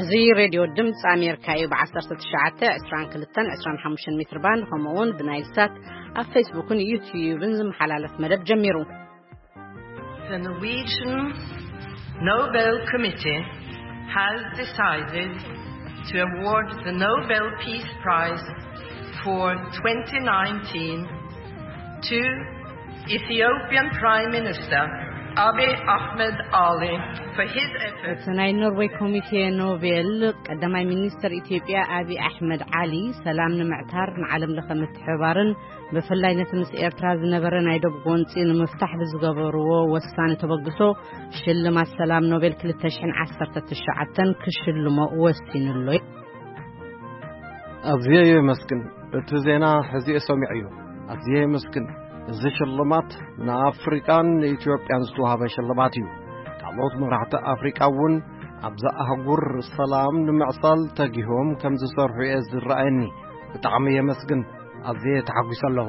እዚ ሬድዮ ድምፂ ኣሜሪካ እዩ። ብ19፣ 22፣ 25 ሜትር ባንድ፣ ከምኡ እውን ብናይል ሳት ኣብ ፌስቡክን ዩትዩብን ዝመሓላለፍ መደብ ጀሚሩ። The Norwegian Nobel Committee has decided to award the Nobel Peace Prize for twenty nineteen to Ethiopian Prime Minister Abiy Ahmed Ali for his efforts. እቲ ናይ ኖርዌይ ኮሚቴ ኖቤል፣ ቀዳማይ ሚኒስትር ኢትዮጵያ ኣቢይ ኣሕመድ ዓሊ፣ ሰላም ንምዕታር፣ ንዓለም ለኸ ምትሕብባርን ብፍላይ ነቲ ምስ ኤርትራ ዝነበረ ናይ ዶብ ጎንጺ ንምፍታሕ ብዝገበርዎ ወሳኒ ተበግሶ፣ ሽልማት ሰላም ኖቤል ክልተ ሽሕን ዓሰርተ ትሽዓተን ክሽልሞ ወሲኑሎ። ኣዝየ የመስግን። እቲ ዜና ሕዚየ ሰሚዐዮ። ኣዝየ የመስግን። እዚ ሽልማት ንኣፍሪቃን ንኢትዮጵያን ዝተዋህበ ሽልማት እዩ። ካልኦት መራሕቲ ኣፍሪቃ እውን ኣብዛ ኣህጉር ሰላም ንምዕሳል ተጊሆም ከም ዝሰርሑ እየ ዝረኣየኒ። ብጣዕሚ የመስግን። ኣዝየ ተሓጒሰ ኣለኹ።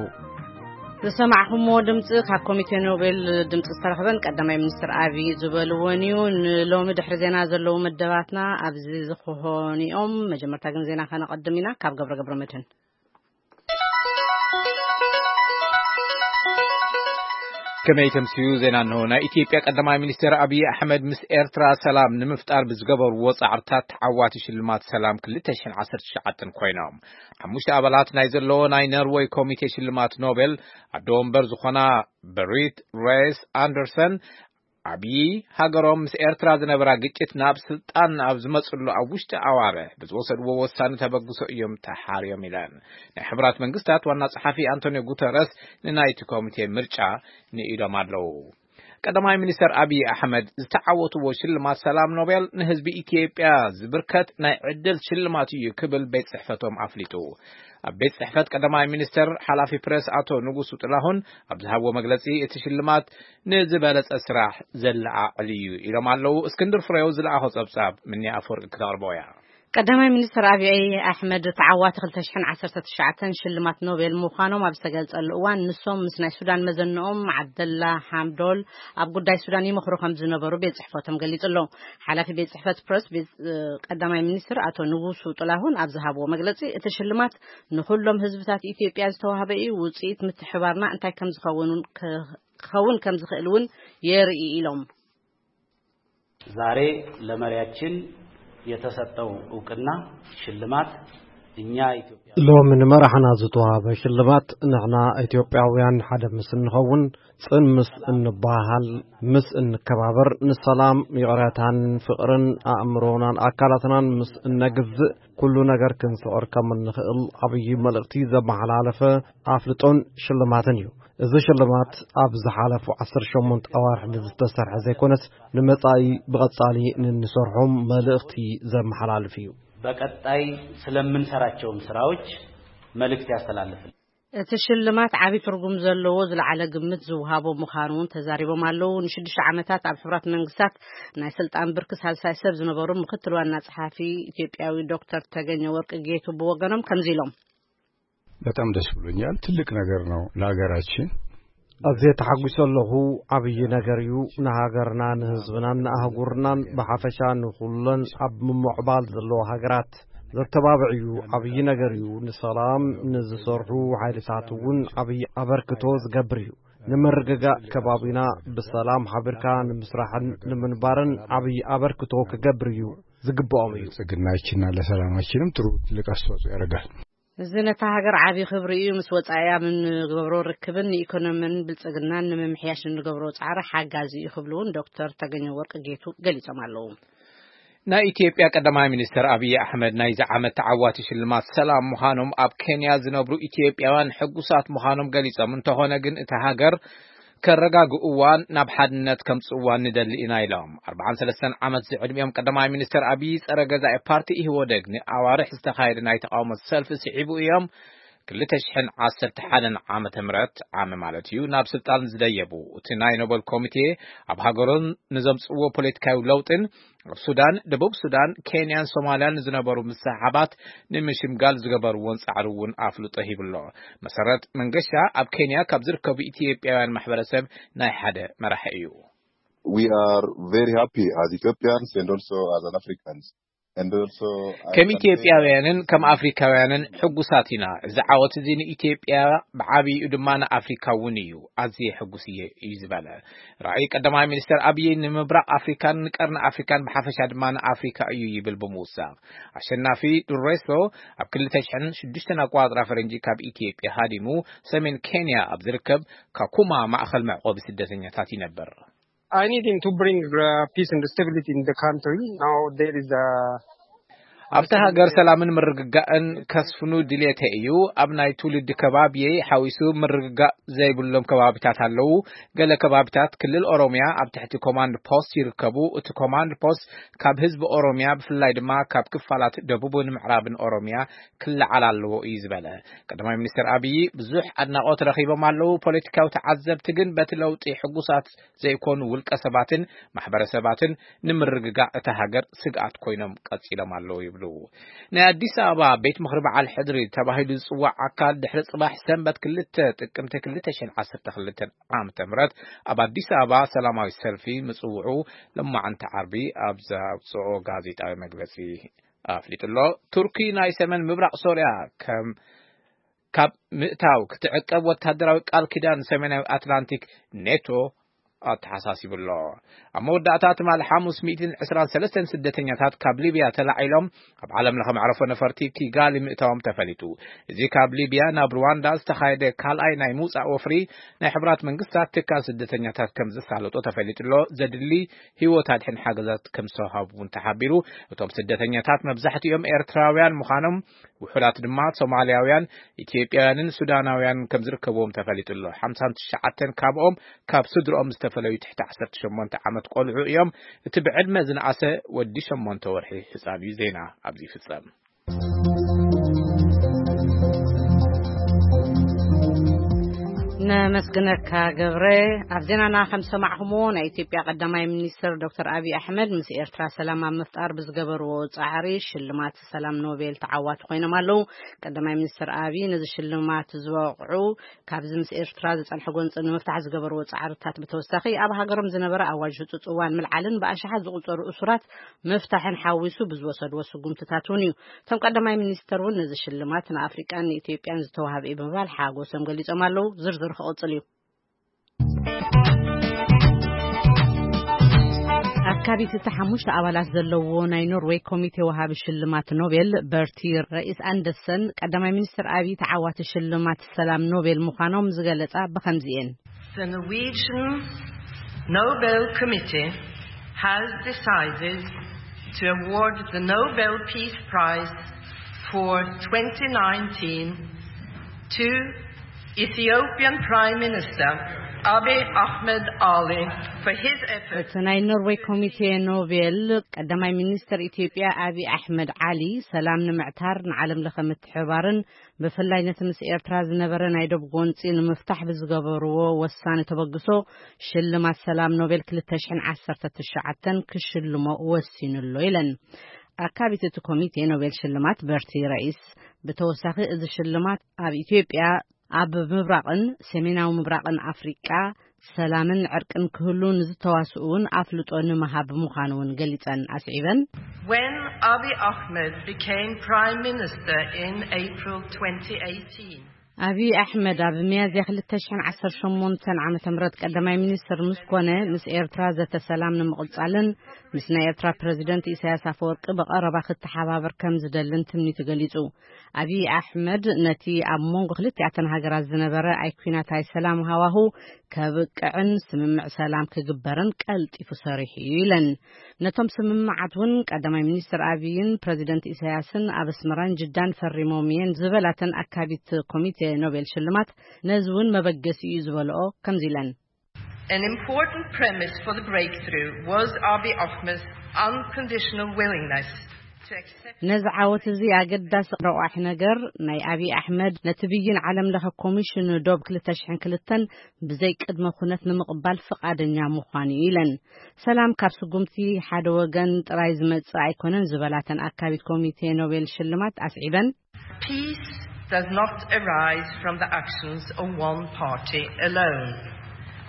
ዝሰማዕኹምዎ ድምፂ ካብ ኮሚቴ ኖቤል ድምፂ ዝተረኽበን ቀዳማይ ሚኒስትር ኣቢይ ዝበልዎን እዩ። ንሎሚ ድሕሪ ዜና ዘለዉ መደባትና ኣብዚ ዝኾኑ እዮም። መጀመርታ ግን ዜና ከነቐድም ኢና። ካብ ገብረ ገብረ መድህን። ከመይ ተምስዩ ዜና እንሆ። ናይ ኢትዮጵያ ቀዳማይ ሚኒስትር ኣቢይ ኣሕመድ ምስ ኤርትራ ሰላም ንምፍጣር ብዝገበርዎ ጻዕርታት ተዓዋቲ ሽልማት ሰላም ክልተ ሽሕን ዓሰርተ ትሽዓተን ኮይኖም። ሓሙሽተ ኣባላት ናይ ዘለዎ ናይ ኖርወይ ኮሚቴ ሽልማት ኖቤል ኣዶ ወንበር ዝኾና በሪት ሬስ ኣንደርሰን፣ ኣቢይ ሃገሮም ምስ ኤርትራ ዝነበራ ግጭት ናብ ስልጣን ኣብ ዝመጽሉ ኣብ ውሽጢ ኣዋርሕ ብዝወሰድዎ ወሳኒ ተበግሶ እዮም ተሓርዮም ኢለን። ናይ ሕቡራት መንግስታት ዋና ጸሓፊ ኣንቶኒዮ ጉተረስ ንናይቲ ኮሚቴ ምርጫ ንኢዶም ኣለዉ። ቀዳማይ ሚኒስተር ኣቢይ ኣሕመድ ዝተዓወትዎ ሽልማት ሰላም ኖቤል ንህዝቢ ኢትዮጵያ ዝብርከት ናይ ዕድል ሽልማት እዩ ክብል ቤት ጽሕፈቶም ኣፍሊጡ። ኣብ ቤት ጽሕፈት ቀዳማይ ሚኒስተር ሓላፊ ፕሬስ ኣቶ ንጉሱ ጥላሁን ኣብ ዝሃብዎ መግለጺ፣ እቲ ሽልማት ንዝበለጸ ስራሕ ዘለዓዕል እዩ ኢሎም ኣለዉ። እስክንድር ፍሬው ዝለኣኾ ጸብጻብ ምንያ ኣፈወርቂ ክተቕርቦ እያ። ቀዳማይ ሚኒስትር ኣቢይ ኣሕመድ ተዓዋቲ ክልተ ሽሕን ዓሰርተ ትሽዓተን ሽልማት ኖቤል ምዃኖም ኣብ ዝተገልጸሉ እዋን፣ ንሶም ምስ ናይ ሱዳን መዘንኦም ዓብደላ ሓምዶል ኣብ ጉዳይ ሱዳን ይመኽሩ ከም ዝነበሩ ቤት ጽሕፈቶም ገሊጹ ኣሎ። ሓላፊ ቤት ጽሕፈት ፕረስ ቤት፣ እ፣ ቀዳማይ ሚኒስትር ኣቶ ንጉሱ ጥላሁን ኣብ ዝሃብዎ መግለጺ፣ እቲ ሽልማት ንኹሎም ህዝብታት ኢትዮጵያ ዝተዋህበ እዩ። ውጽኢት ምትሕባርና እንታይ ከም ዝኸውን እውን ከ-፣ ክኸውን ከም ዝኽእል እውን የርኢ ኢሎም። ዛሬ ለመሪያችን የተሰጠው እውቅና ሽልማት እኛ ኢትዮጵያ ሎሚ ንመራሕና ዝተዋህበ ሽልማት፣ ንሕና ኢትዮጵያውያን ሓደ ምስ እንኸውን፣ ጽን ምስ እንበሃሃል፣ ምስ እንከባበር፣ ንሰላም፣ ይቕረታን ፍቕርን ኣእምሮናን ኣካላትናን ምስ እነግዝእ፣ ኩሉ ነገር ክንስዕር ከም እንኽእል ዓብዪ መልእኽቲ ዘመሓላለፈ ኣፍልጦን ሽልማትን እዩ። እዚ ሽልማት ኣብ ዝሓለፉ ዓሰርተ ሸሞንተ ኣዋርሕ ንዝተሰርሐ ዘይኮነስ፣ ንመጻኢ ብቐጻሊ ንንሰርሖም መልእኽቲ ዘመሓላልፍ እዩ። በቀጣይ ስለምንሰራቸውም ስራዎች መልእክት ያስተላልፍል። እቲ ሽልማት ዓቢ ትርጉም ዘለዎ ዝለዓለ ግምት ዝወሃቦ ምዃኑ እውን ተዛሪቦም ኣለዉ። ንሽዱሽተ ዓመታት ኣብ ሕቡራት መንግስታት ናይ ስልጣን ብርኪ ሳልሳይ ሰብ ዝነበሩ ምክትል ዋና ጸሓፊ ኢትዮጵያዊ ዶክተር ተገኘ ወርቅ ጌቱ ብወገኖም ከምዚ ኢሎም። በጣም ደስ ብሎኛል። ትልቅ ነገር ነው ለሀገራችን። ኣዝየ ተሓጒሰ ኣለኹ። ዓብዪ ነገር እዩ። ንሃገርና፣ ንህዝብናን ንኣህጉርናን ብሓፈሻ ንኹለን ኣብ ምምዕባል ዘለዋ ሃገራት ዘተባብዕ እዩ። ዓብዪ ነገር እዩ። ንሰላም ንዝሰርሑ ሓይልታት እውን ዓብዪ ኣበርክቶ ዝገብር እዩ። ንምርግጋእ ከባቢና ብሰላም ሓቢርካ ንምስራሕን ንምንባርን ዓብዪ ኣበርክቶ ክገብር እዩ ዝግብኦም እዩ። ብልጽግናችንና ለሰላማችንም ጥሩ ትልቅ አስተዋጽኦ ያደርጋል። እዚ ነታ ሃገር ዓቢ ክብሪ እዩ። ምስ ወጻኢ ኣብ እንገብሮ ርክብን ንኢኮኖሚን ብልጽግናን ንምምሕያሽ እንገብሮ ጻዕሪ ሓጋዚ እዩ ክብሉ እውን ዶክተር ተገኘ ወርቅ ጌቱ ገሊጾም ኣለዉ። ናይ ኢትዮጵያ ቀዳማይ ሚኒስትር ኣቢይ ኣሕመድ ናይዚ ዓመት ተዓዋቲ ሽልማት ሰላም ምዃኖም ኣብ ኬንያ ዝነብሩ ኢትዮጵያውያን ሕጉሳት ምዃኖም ገሊጾም፣ እንተኾነ ግን እታ ሃገር ከረጋግእዋን ናብ ሓድነት ከምጽእዋን ንደሊ ኢና ኢሎም። ኣርባዓን ሰለስተን ዓመት ዝዕድሚኦም ቀዳማይ ሚኒስትር ኣቢይ ጸረ ገዛኢ ፓርቲ ኢህወደግ ንኣዋርሕ ዝተኻየደ ናይ ተቃውሞ ሰልፊ ስዒቡ እዮም ክልተ ሽሕን ዓሰርተ ሓደን ዓመተ ምህረት ዓመ ማለት እዩ ናብ ስልጣን ዝደየቡ። እቲ ናይ ኖበል ኮሚቴ ኣብ ሃገሮም ንዘምጽእዎ ፖለቲካዊ ለውጥን ኣብ ሱዳን፣ ደቡብ ሱዳን፣ ኬንያን ሶማልያን ዝነበሩ ምስሕሓባት ንምሽምጋል ዝገበርዎን ጻዕሪ እውን ኣፍልጦ ሂብሎ። መሰረት መንገሻ ኣብ ኬንያ ካብ ዝርከቡ ኢትዮጵያውያን ማሕበረሰብ ናይ ሓደ መራሒ እዩ። We are very happy as Ethiopians and also as an Africans. And also, I ከም can say ኢትዮጵያውያንን ከም ኣፍሪካውያንን ሕጉሳት ኢና። እዚ ዓወት እዚ ንኢትዮጵያ ብዓብይኡ ድማ ንኣፍሪካ እውን እዩ። ኣዝየ ሕጉስ እየ እዩ ዝበለ። ራእይ ቀዳማይ ሚኒስትር ኣብይ ንምብራቕ ኣፍሪካን ንቀርኒ ኣፍሪካን ብሓፈሻ ድማ ንኣፍሪካ እዩ ይብል ብምውሳኽ፣ ኣሸናፊ ዱሬሶ ኣብ ክልተ ሽሕን ሽዱሽተን ኣቆጻጽራ ፈረንጂ ካብ ኢትዮጵያ ሃዲሙ ሰሜን ኬንያ ኣብ ዝርከብ ካኩማ ማእኸል መዕቆቢ ስደተኛታት ይነብር። I need him to bring uh, peace and stability in the country. Now there is a ኣብቲ ሃገር ሰላምን ምርግጋእን ከስፍኑ ድሌተ እዩ። ኣብ ናይ ትውልዲ ከባቢየይ ሓዊሱ ምርግጋእ ዘይብሎም ከባቢታት ኣለዉ። ገለ ከባቢታት ክልል ኦሮሚያ ኣብ ትሕቲ ኮማንድ ፖስት ይርከቡ። እቲ ኮማንድ ፖስት ካብ ህዝቢ ኦሮሚያ ብፍላይ ድማ ካብ ክፋላት ደቡብን ምዕራብን ኦሮሚያ ክለዓል ኣለዎ እዩ ዝበለ ቀዳማይ ሚኒስትር ኣብይ፣ ብዙሕ ኣድናቖት ረኺቦም ኣለዉ። ፖለቲካዊ ተዓዘብቲ ግን በቲ ለውጢ ሕጉሳት ዘይኮኑ ውልቀ ሰባትን ማሕበረሰባትን ንምርግጋእ እታ ሃገር ስግኣት ኮይኖም ቀጺሎም ኣለዉ ይብሉ። ናይ ኣዲስ ኣበባ ቤት ምኽሪ በዓል ሕድሪ ተባሂሉ ዝጽዋዕ ኣካል ድሕሪ ጽባሕ ሰንበት ክልተ ጥቅምቲ ክልተ ሽሕን ዓሰርተ ክልተን ዓመተ ምህረት ኣብ ኣዲስ ኣበባ ሰላማዊ ሰልፊ ምጽውዑ ለማዓንቲ ዓርቢ ኣብ ዘውጽኦ ጋዜጣዊ መግለጺ ኣፍሊጡ ኣሎ። ቱርኪ ናይ ሰሜን ምብራቕ ሶርያ ከም ካብ ምእታው ክትዕቀብ ወታደራዊ ቃል ኪዳን ሰሜናዊ ኣትላንቲክ ኔቶ ኣተሓሳሲቡ ኣሎ። ኣብ መወዳእታ ትማሊ ሓሙስ ሚእትን ዕስራን ሰለስተን ስደተኛታት ካብ ሊብያ ተላዒሎም ኣብ ዓለም ለኸ መዕረፎ ነፈርቲ ኪጋሊ ምእታዎም ተፈሊጡ። እዚ ካብ ሊብያ ናብ ሩዋንዳ ዝተኻየደ ካልኣይ ናይ ምውጻእ ወፍሪ ናይ ሕብራት መንግስታት ትካል ስደተኛታት ከም ዘሳለጦ ተፈሊጡ ኣሎ። ዘድሊ ህይወት ኣድሕን ሓገዛት ከም ዝተዋሃቡ እውን ተሓቢሩ። እቶም ስደተኛታት መብዛሕትኦም ኤርትራውያን ምዃኖም፣ ውሑዳት ድማ ሶማልያውያን፣ ኢትዮጵያውያንን ሱዳናውያን ከም ዝርከብዎም ተፈሊጡ ኣሎ። ሓምሳን ትሽዓተን ካብኦም ካብ ስድርኦም ዝተፈለዩ ትሕቲ ዓሰርተ ሸሞንተ ዓመት ቆልዑ እዮም። እቲ ብዕድመ ዝነኣሰ ወዲ ሸሞንተ ወርሒ ህጻን እዩ። ዜና ኣብዚ ይፍጸም። ነመስግነካ ገብረ። ኣብ ዜናና ከም ዝሰማዕኹምዎ፣ ናይ ኢትዮጵያ ቀዳማይ ሚኒስትር ዶክተር ኣብይ ኣሕመድ ምስ ኤርትራ ሰላም ኣብ ምፍጣር ብዝገበርዎ ጻዕሪ ሽልማት ሰላም ኖቤል ተዓዋቲ ኮይኖም ኣለዉ። ቀዳማይ ሚኒስትር ኣብይ ነዚ ሽልማት ዝበቕዑ ካብዚ ምስ ኤርትራ ዝጸንሐ ጎንጺ ንምፍታሕ ዝገበርዎ ጻዕርታት ብተወሳኺ ኣብ ሃገሮም ዝነበረ ኣዋጅ ህጹጽ እዋን ምልዓልን ብኣሽሓት ዝቑጸሩ እሱራት ምፍታሕን ሓዊሱ ብዝወሰድዎ ስጉምትታት እውን እዩ። እቶም ቀዳማይ ሚኒስተር እውን ነዚ ሽልማት ንኣፍሪቃን ንኢትዮጵያን ዝተዋህበ እዩ ብምባል ሓጎሶም ገሊጾም ኣለዉ። ዝርዝሩ ክቕጽል እዩ። ኣካቢት እቲ ሓሙሽተ ኣባላት ዘለዎ ናይ ኖርዌይ ኮሚቴ ወሃቢ ሽልማት ኖቤል በርቲ ረኢስ ኣንደርሰን ቀዳማይ ሚኒስትር ኣብይ ተዓዋቲ ሽልማት ሰላም ኖቤል ምዃኖም ዝገለጻ ብኸምዚ እየን። The Norwegian Nobel Committee has decided to award the Nobel Peace Prize for twenty nineteen to Ethiopian Prime Minister Abiy Ahmed Ali for his efforts. እቲ ናይ ኖርዌይ ኮሚቴ ኖቤል ቀዳማይ ሚኒስትር ኢትዮጵያ ኣብይ ኣሕመድ ዓሊ ሰላም ንምዕታር ንዓለም ለኸ ምትሕባርን ብፍላይ ነቲ ምስ ኤርትራ ዝነበረ ናይ ዶብ ጎንጺ ንምፍታሕ ብዝገበርዎ ወሳኒ ተበግሶ ሽልማት ሰላም ኖቤል ክልተ ሽሕን ዓሰርተ ትሽዓተን ክሽልሞ ወሲኑ ኣሎ ኢለን። ኣካቢት እቲ ኮሚቴ ኖቤል ሽልማት በርቲ ረኢስ ብተወሳኺ እዚ ሽልማት ኣብ ኢትዮጵያ ኣብ ምብራቕን ሰሜናዊ ምብራቕን ኣፍሪቃ ሰላምን ዕርቅን ክህሉ ንዝተዋስኡ እውን ኣፍልጦ ንምሃብ ምዃኑ እውን ገሊጸን ኣስዒበን። When Abiy Ahmed became Prime Minister in April twenty eighteen, ኣብይ ኣሕመድ ኣብ ሚያዝያ ክልተ ሽሕን ዓሰርተ ሸሞንተን ዓመተ ምህረት ቀዳማይ ሚኒስትር ምስ ኮነ ምስ ኤርትራ ዘተ ሰላም ንምቕጻልን ምስ ናይ ኤርትራ ፕረዚደንት ኢሳያስ ኣፈወርቂ ብቐረባ ክተሓባበር ከም ዝደልን ትምኒቱ ገሊጹ። ኣብይ ኣሕመድ ነቲ ኣብ መንጎ ክልቲኣተን ሃገራት ዝነበረ ኣይኩናታይ ሰላም ሃዋሁ ከብቅዕን ስምምዕ ሰላም ክግበርን ቀልጢፉ ሰሪሑ እዩ ኢለን። ነቶም ስምምዓት እውን ቀዳማይ ሚኒስትር ኣብይን ፕረዚደንት ኢሳያስን ኣብ ኣስመራን ጅዳን ፈሪሞም እየን ዝበላተን ኣካቢት ኮሚቴ ኖቤል ሽልማት ነዚ እውን መበገሲ እዩ ዝበልኦ ከምዚ ኢለን። An important premise for the breakthrough was Abiy Ahmed's unconditional willingness to accept ነዚ ዓወት እዚ ኣገዳሲ ረቋሒ ነገር ናይ ኣብይ ኣሕመድ ነቲ ብይን ዓለም ለኸ ኮሚሽን ዶብ ክልተ ሽሕን ክልተን ብዘይ ቅድመ ኩነት ንምቕባል ፍቓደኛ ምዃኑ እዩ ኢለን። ሰላም ካብ ስጉምቲ ሓደ ወገን ጥራይ ዝመጽእ ኣይኮነን ዝበላተን ኣካቢት ኮሚቴ ኖቤል ሽልማት ኣስዒበን። Peace does not arise from the actions of one party alone.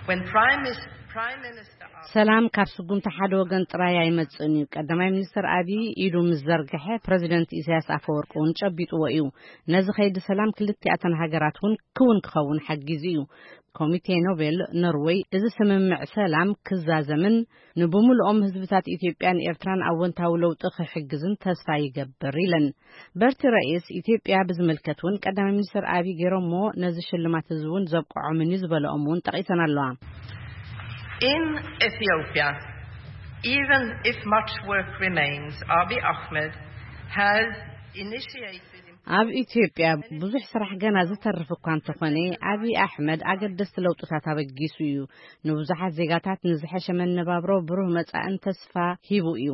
When Prime Mis-, Prime Minister ሰላም ካብ ስጉምቲ ሓደ ወገን ጥራይ ኣይመጽእን እዩ። ቀዳማይ ሚኒስትር ኣብይ ኢዱ ምስ ዘርግሐ፣ ፕረዚደንት ኢሳያስ ኣፈወርቂ እውን ጨቢጥዎ እዩ። ነዚ ከይዲ ሰላም ክልቲኣተን ሃገራት እውን ክውን ክኸውን ሓጊዙ እዩ። ኮሚቴ ኖቤል ኖርወይ እዚ ስምምዕ ሰላም ክዛዘምን ንብምልኦም ህዝብታት ኢትዮጵያን ኤርትራን ኣወንታዊ ለውጢ ክሕግዝን ተስፋ ይገብር ኢለን። በርቲ ረኢስ ኢትዮጵያ ብዝምልከት እውን ቀዳማይ ሚኒስትር ኣብይ ገይሮሞ ነዚ ሽልማት እዚ እውን ዘብቅዖምን እዩ ዝበለኦም እውን ጠቒሰን ኣለዋ። In Ethiopia, even if much work remains, Abiy Ahmed has initiated ኣብ ኢትዮጵያ ብዙሕ ስራሕ ገና ዝተርፍ እኳ እንተኾነ፣ ኣብይ ኣሕመድ ኣገደስቲ ለውጥታት ኣበጊሱ እዩ። ንብዙሓት ዜጋታት ንዝሐሸ መነባብሮ፣ ብሩህ መጻእን ተስፋ ሂቡ እዩ።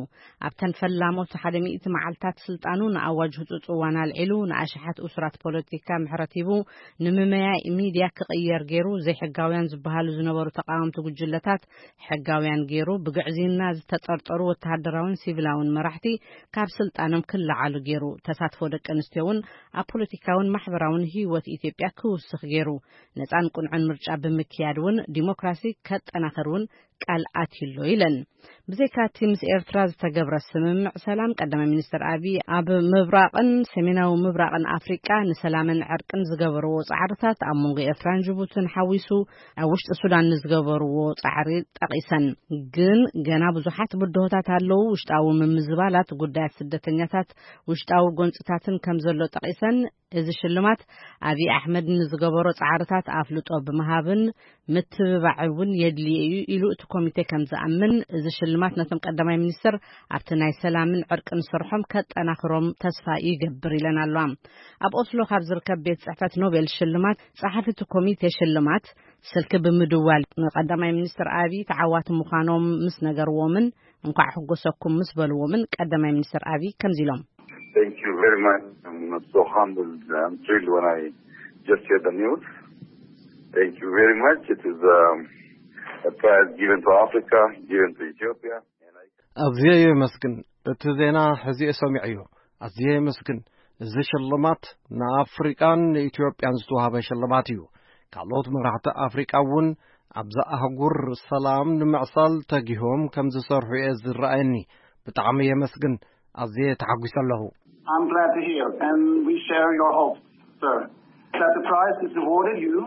ኣብተን ፈላሞት ሓደ ሚእቲ መዓልታት ስልጣኑ ንኣዋጅ ህጹጽ እዋን ኣልዒሉ፣ ንኣሽሓት እሱራት ፖለቲካ ምሕረት ሂቡ፣ ንምመያ ሚድያ ክቕየር ገይሩ፣ ዘይሕጋውያን ዝበሃሉ ዝነበሩ ተቃወምቲ ጉጅለታት ሕጋውያን ገይሩ፣ ብግዕዝይና ዝተጠርጠሩ ወተሃደራውን ሲቪላውን መራሕቲ ካብ ስልጣኖም ክለዓሉ ገይሩ፣ ተሳትፎ ደቂ ኣንስትዮ እውን ኣብ ፖለቲካውን ማሕበራውን ህይወት ኢትዮጵያ ክውስኽ ገይሩ፣ ነጻን ቅኑዕን ምርጫ ብምክያድ እውን ዲሞክራሲ ከጠናኽር እውን ቃል ኣትዩሎ ኢለን። ብዘይካቲ ምስ ኤርትራ ዝተገብረ ስምምዕ ሰላም፣ ቀዳማይ ሚኒስትር ኣብይ ኣብ ምብራቕን ሰሜናዊ ምብራቕን ኣፍሪቃ ንሰላምን ዕርቅን ዝገበርዎ ጻዕርታት፣ ኣብ መንጎ ኤርትራን ጅቡትን ሓዊሱ ኣብ ውሽጢ ሱዳን ንዝገበርዎ ጻዕሪ ጠቒሰን። ግን ገና ብዙሓት ብድሆታት ኣለዉ። ውሽጣዊ ምምዝባላት፣ ጉዳያት ስደተኛታት፣ ውሽጣዊ ጎንጽታትን ከም ዘሎ ጠቒሰን፣ እዚ ሽልማት ኣብይ ኣሕመድ ንዝገበሮ ጻዕርታት ኣፍልጦ ብምሃብን ምትብባዕ እውን የድልዮ እዩ ኢሉ እቲ ኮሚቴ ከም ዝኣምን፣ እዚ ሽልማት ነቶም ቀዳማይ ሚኒስትር ኣብቲ ናይ ሰላምን ዕርቅን ስርሖም ከጠናኽሮም ተስፋ ይገብር ኢለን ኣለዋ። ኣብ ኦስሎ ካብ ዝርከብ ቤት ጽሕፈት ኖቤል ሽልማት ጸሓፊ እቲ ኮሚቴ ሽልማት ስልኪ ብምድዋል ንቀዳማይ ሚኒስትር ኣብይ ተዓዋቲ ምዃኖም ምስ ነገርዎምን እንኳዕ ሕጎሰኩም ምስ በልዎምን ቀዳማይ ሚኒስትር ኣብይ ከምዚ ኢሎም። Thank you very much. I'm so humbled. I'm thrilled when I just hear the news. Thank you very much. It is um, a prize given to Africa, given to Ethiopia. ኣዝየ የመስግን። እቲ ዜና ሕዚየ ሰሚዐዮ። ኣዝየ የመስግን። እዚ ሽልማት ንኣፍሪቃን ንኢትዮጵያን ዝተዋህበ ሽልማት እዩ። ካልኦት መራሕቲ ኣፍሪቃ እውን ኣብዛ ኣህጉር ሰላም ንምዕሳል ተጊሆም ከም ዝሰርሑ እየ ዝረኣየኒ። ብጣዕሚ የመስግን። ኣዝየ ተሓጒሰ ኣለኹ። I'm glad to hear, and we share your hopes, sir, that the prize is rewarded you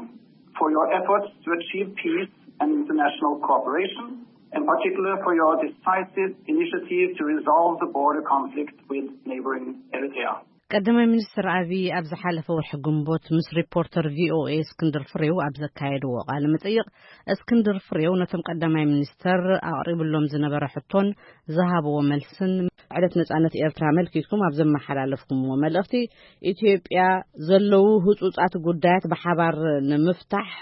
for your efforts to achieve peace and international cooperation, in particular for your decisive initiative to resolve the border conflict with neighboring Eritrea. ቀዳማይ ሚኒስትር ኣብይ ኣብ ዝሓለፈ ወርሒ ግንቦት ምስ ሪፖርተር ቪኦኤ እስክንድር ፍሬው ኣብ ዘካየድዎ ቃለ መጠይቕ፣ እስክንድር ፍሬው ነቶም ቀዳማይ ሚኒስተር ኣቕሪብሎም ዝነበረ ሕቶን ዝሃብዎ መልስን፣ ዕለት ነጻነት ኤርትራ ኣመልኪትኩም ኣብ ዘመሓላለፍኩምዎ መልእኽቲ፣ ኢትዮጵያ ዘለዉ ህጹጻት ጉዳያት ብሓባር ንምፍታሕ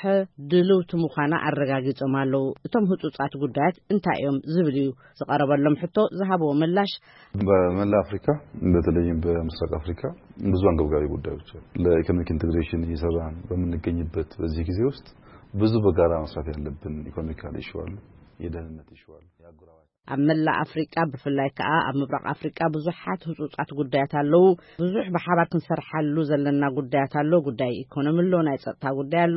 ድልውቲ ምዃና ኣረጋጊጾም ኣለዉ። እቶም ህጹጻት ጉዳያት እንታይ እዮም ዝብል እዩ ዝቐረበሎም ሕቶ ዝሃብዎ ምላሽ። በመላ አፍሪካ፣ በተለይም በምስራቅ አፍሪካ ብዙ አንገብጋቢ ጉዳዮች አሉ። ለኢኮኖሚክ ኢንቴግሬሽን እየሰራን በምንገኝበት በዚህ ጊዜ ውስጥ ብዙ በጋራ መስራት ያለብን ኢኮኖሚካል ኢሹ አሉ፣ የደህንነት ኢሹ አሉ፣ የአጎራባች ኣብ መላእ ኣፍሪቃ፣ ብፍላይ ከኣ ኣብ ምብራቕ ኣፍሪቃ ብዙሓት ህጹጻት ጉዳያት ኣለዉ። ብዙሕ ብሓባር ክንሰርሓሉ ዘለና ጉዳያት ኣሎ። ጉዳይ ኢኮኖሚ ኣሎ፣ ናይ ጸጥታ ጉዳይ ኣሎ፣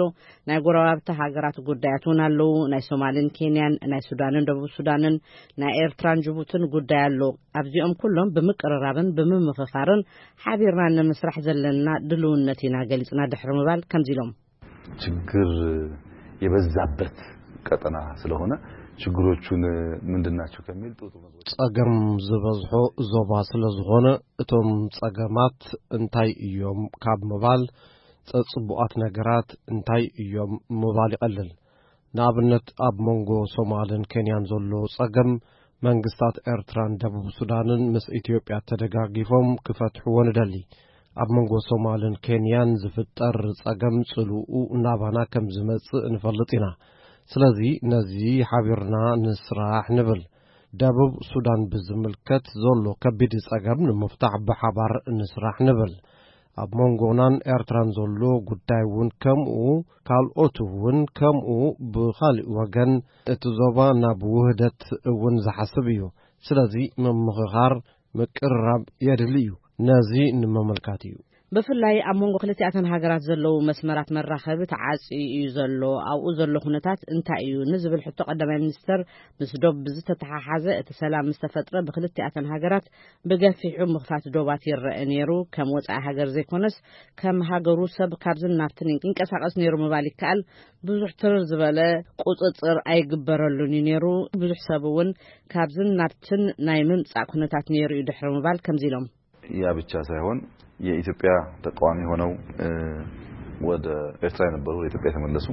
ናይ ጎረባብቲ ሃገራት ጉዳያት እውን ኣለዉ። ናይ ሶማልን ኬንያን፣ ናይ ሱዳንን ደቡብ ሱዳንን፣ ናይ ኤርትራን ጅቡትን ጉዳይ ኣሎ። ኣብዚኦም ኩሎም ብምቅርራብን ብምምኽኻርን ሓቢርና ንምስራሕ ዘለና ድልውነት ኢና ገሊጽና ድሕሪ ምባል ከምዚ ኢሎም። ችግር የበዛበት ቀጠና ስለሆነ ችግሮቹን ምንድን ናቸው ከሚል ጥሩ ጥሩ ነጥቦች ጸገም ዝበዝሖ ዞባ ስለ ዝኾነ፣ እቶም ጸገማት እንታይ እዮም ካብ ምባል፣ ጸጽቡቓት ነገራት እንታይ እዮም ምባል ይቐልል። ንኣብነት፣ ኣብ መንጎ ሶማልን ኬንያን ዘሎ ጸገም፣ መንግስታት ኤርትራን ደቡብ ሱዳንን ምስ ኢትዮጵያ ተደጋጊፎም ክፈትሕዎ ንደሊ። ኣብ መንጎ ሶማልን ኬንያን ዝፍጠር ጸገም ጽልኡ ናባና ከም ዝመጽእ ንፈልጥ ኢና። ስለዚ ነዚ ሓቢርና ንስራሕ ንብል። ደቡብ ሱዳን ብዝምልከት ዘሎ ከቢድ ጸገም ንምፍታሕ ብሓባር ንስራሕ ንብል። ኣብ መንጎናን ኤርትራን ዘሎ ጉዳይ እውን ከምኡ፣ ካልኦት እውን ከምኡ። ብኻልእ ወገን እቲ ዞባ ናብ ውህደት እውን ዝሓስብ እዩ። ስለዚ ምምኽኻር፣ ምቅርራብ የድሊ እዩ። ነዚ ንምምልካት እዩ። ብፍላይ ኣብ መንጎ ክልቲኣተን ሃገራት ዘለዉ መስመራት መራኸቢ ተዓጽዩ እዩ ዘሎ። ኣብኡ ዘሎ ኩነታት እንታይ እዩ ንዝብል ሕቶ ቀዳማይ ሚኒስተር፣ ምስ ዶብ ብዝተተሓሓዘ እቲ ሰላም ምስ ተፈጥረ ብክልቲኣተን ሃገራት ብገፊሑ ምኽፋት ዶባት ይረአ ነይሩ። ከም ወጻኢ ሃገር ዘይኮነስ ከም ሃገሩ ሰብ ካብዝን ናብትን ይንቀሳቐስ ነይሩ ምባል ይከኣል። ብዙሕ ትርር ዝበለ ቁጽጽር ኣይግበረሉን እዩ ነይሩ። ብዙሕ ሰብ እውን ካብዝን ናብትን ናይ ምምጻእ ኩነታት ነይሩ እዩ ድሕሪ ምባል ከምዚ ኢሎም። ያ ብቻ ሳይሆን የኢትዮጵያ ተቃዋሚ ሆነው ወደ ኤርትራ የነበሩ ወደ ኢትዮጵያ የተመለሱ